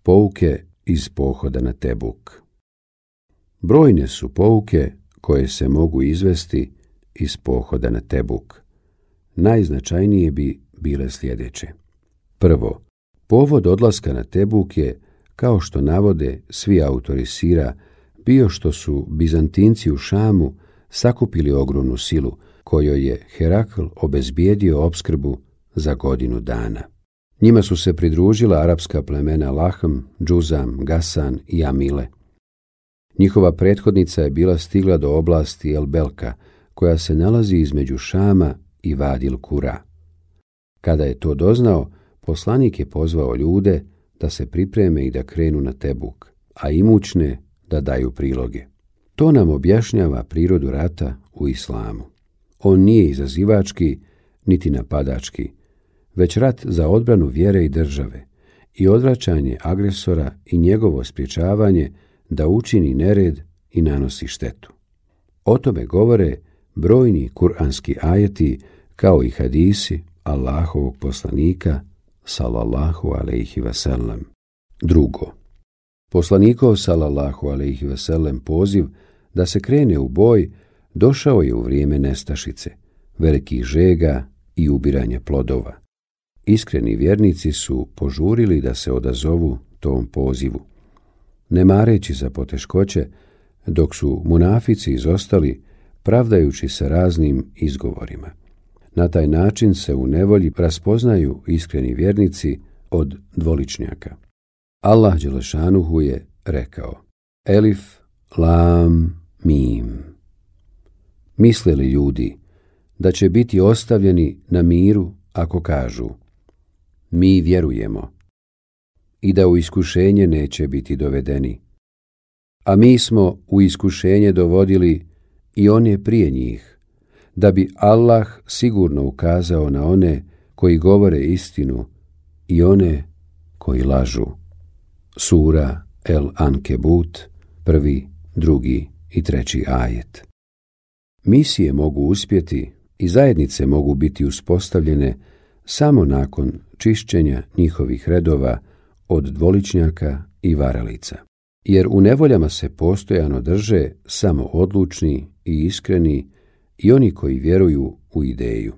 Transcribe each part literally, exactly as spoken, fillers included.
Pouke iz pohoda na Tebuk. Brojne su pouke koje se mogu izvesti iz pohoda na Tebuk. Najznačajnije bi bile sljedeće. Prvo, povod odlaska na Tebuk je, kao što navode svi autori sira, bio što su Bizantinci u Šamu sakupili ogromnu silu, kojoj je Herakl obezbijedio opskrbu za godinu dana. Njima su se pridružila arapska plemena Lahm, Džuzam, Gasan i Amile. Njihova prethodnica je bila stigla do oblasti El Belka, koja se nalazi između Šama i Vadil Kura. Kada je to doznao, poslanik je pozvao ljude da se pripreme i da krenu na Tebuk, a imućne da daju priloge. To nam objašnjava prirodu rata u islamu. On nije izazivački, niti napadački, već rat za odbranu vjere i države i odvraćanje agresora i njegovo sprječavanje da učini nered i nanosi štetu. O tome govore brojni kuranski ajeti kao i hadisi Allahovog poslanika sallallahu alejhi ve sellem. Drugo, poslanikov sallallahu alejhi ve sellem poziv da se krene u boj došao je u vrijeme nestašice, velikih žega i ubiranja plodova. Iskreni vjernici su požurili da se odazovu tom pozivu, ne mareći za poteškoće, dok su munafici izostali, pravdajući se raznim izgovorima. Na taj način se u nevolji raspoznaju iskreni vjernici od dvoličnjaka. Allah dželešanuhu je rekao: Elif, lam, mim. Misle li ljudi da će biti ostavljeni na miru ako kažu: mi vjerujemo, i da u iskušenje neće biti dovedeni? A mi smo u iskušenje dovodili i one prije njih, da bi Allah sigurno ukazao na one koji govore istinu i one koji lažu. Sura El Ankebut, prvi, drugi i treći ajet. Misije mogu uspjeti i zajednice mogu biti uspostavljene samo nakon čišćenja njihovih redova od dvoličnjaka i varalica. Jer u nevoljama se postojano drže samo odlučni i iskreni i oni koji vjeruju u ideju.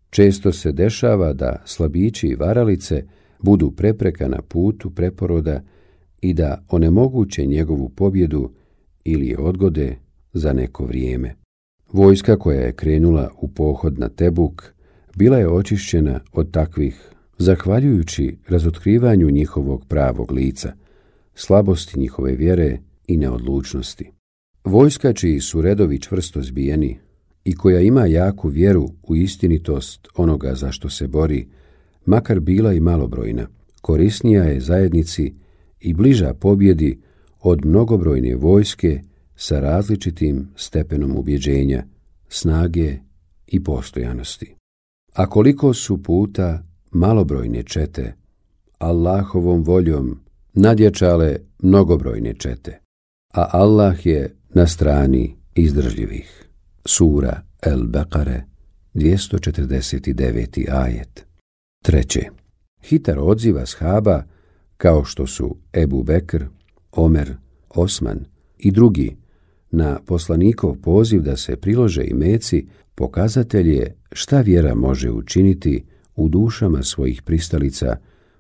Često se dešava da slabići i varalice budu prepreka na putu preporoda i da onemoguće njegovu pobjedu ili je odgode za neko vrijeme. Vojska koja je krenula u pohod na Tebuk bila je očišćena od takvih, zahvaljujući razotkrivanju njihovog pravog lica, slabosti njihove vjere i neodlučnosti. Vojska čiji su redovi čvrsto zbijeni i koja ima jaku vjeru u istinitost onoga za što se bori, makar bila i malobrojna, korisnija je zajednici i bliža pobjedi od mnogobrojne vojske sa različitim stepenom ubjeđenja, snage i postojanosti. A koliko su puta malobrojne čete Allahovom voljom nadjačale mnogobrojne čete, a Allah je na strani izdržljivih. Sura El Bekare, dvjesto četrdeset deveti ajet. Treće, hitar odziv ashaba, kao što su Ebu Bekr, Omer, Osman i drugi, na poslanikov poziv da se prilože imeci, pokazatelj je šta vjera može učiniti u dušama svojih pristalica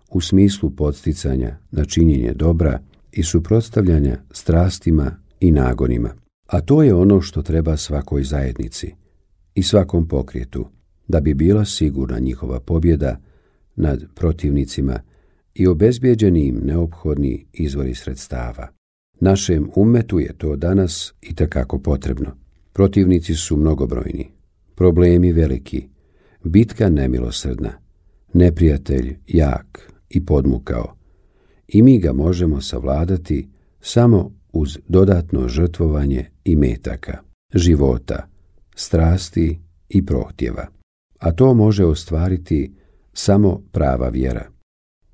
u smislu podsticanja na činjenje dobra i suprotstavljanja strastima i nagonima. A to je ono što treba svakoj zajednici i svakom pokretu, da bi bila sigurna njihova pobjeda nad protivnicima i obezbijeđeni im neophodni izvori sredstava. Našem ummetu je to danas itekako potrebno. Protivnici su mnogobrojni, problemi veliki, bitka nemilosrdna, neprijatelj jak i podmukao, i mi ga možemo savladati samo uz dodatno žrtvovanje imetaka, života, strasti i prohtjeva. A to može ostvariti samo prava vjera,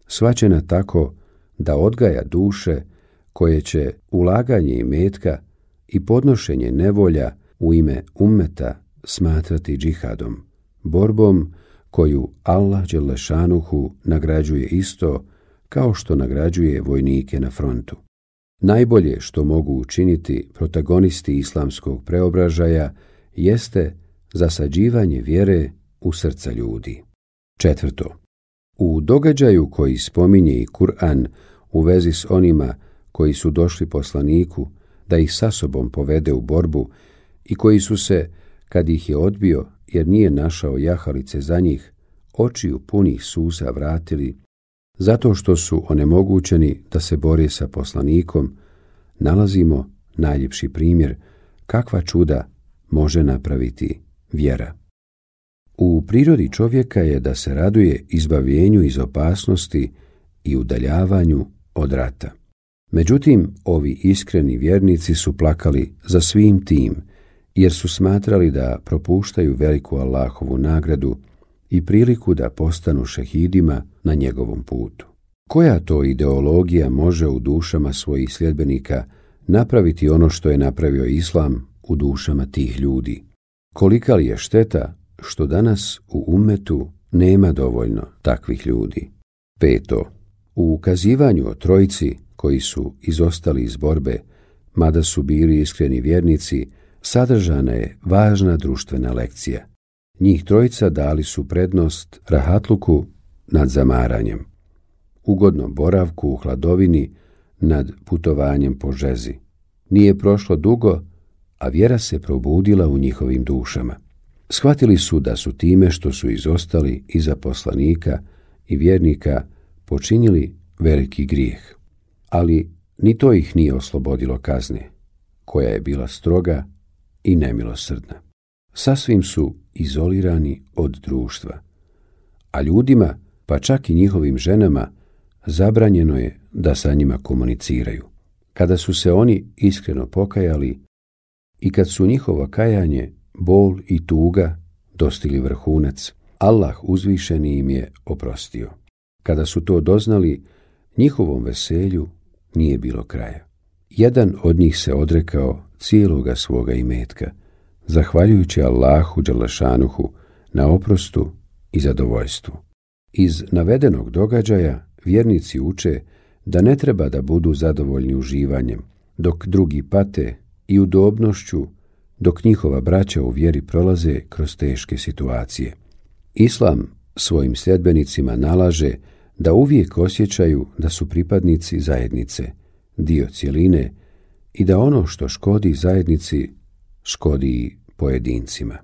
shvaćena tako da odgaja duše koje će ulaganje imetka i podnošenje nevolja u ime ummeta smatrati džihadom, borbom koju Allah dželešanuhu nagrađuje isto kao što nagrađuje vojnike na frontu. Najbolje što mogu učiniti protagonisti islamskog preobražaja jeste zasađivanje vjere u srca ljudi. Četvrto. U događaju koji spominje i Kur'an u vezi s onima koji su došli poslaniku da ih sa sobom povede u borbu i koji su se, kad ih je odbio jer nije našao jahalice za njih, očiju punih suza vratili, zato što su onemogućeni da se bore sa poslanikom, nalazimo najljepši primjer kakva čuda može napraviti vjera. U prirodi čovjeka je da se raduje izbavljenju iz opasnosti i udaljavanju od rata. Međutim, ovi iskreni vjernici su plakali za svim tim, jer su smatrali da propuštaju veliku Allahovu nagradu i priliku da postanu šehidima na njegovom putu. Koja to ideologija može u dušama svojih sljedbenika napraviti ono što je napravio Islam u dušama tih ljudi? Kolika li je šteta što danas u ummetu nema dovoljno takvih ljudi? Peto. U ukazivanju o trojici koji su izostali iz borbe, mada su bili iskreni vjernici, sadržana je važna društvena lekcija. Njih trojica dali su prednost rahatluku nad zamaranjem, ugodnom boravku u hladovini nad putovanjem po žezi. Nije prošlo dugo, a vjera se probudila u njihovim dušama. Shvatili su da su time što su izostali iza poslanika i vjernika počinili veliki grijeh. Ali ni to ih nije oslobodilo kazne, koja je bila stroga i nemilosrdna. Sasvim su izolirani od društva, a ljudima, pa čak i njihovim ženama, zabranjeno je da sa njima komuniciraju. Kada su se oni iskreno pokajali i kad su njihovo kajanje, bol i tuga dostigli vrhunac, Allah uzvišeni im je oprostio. Kada su to doznali, njihovom veselju nije bilo kraja. Jedan od njih se odrekao cijeloga svoga imetka, zahvaljujući Allahu dželešanuhu na oprostu i zadovoljstvu. Iz navedenog događaja vjernici uče da ne treba da budu zadovoljni uživanjem, dok drugi pate, i udobnošću, dok njihova braća u vjeri prolaze kroz teške situacije. Islam svojim sljedbenicima nalaže da uvijek osjećaju da su pripadnici zajednice, dio cjeline, i da ono što škodi zajednici škodi pojedincima.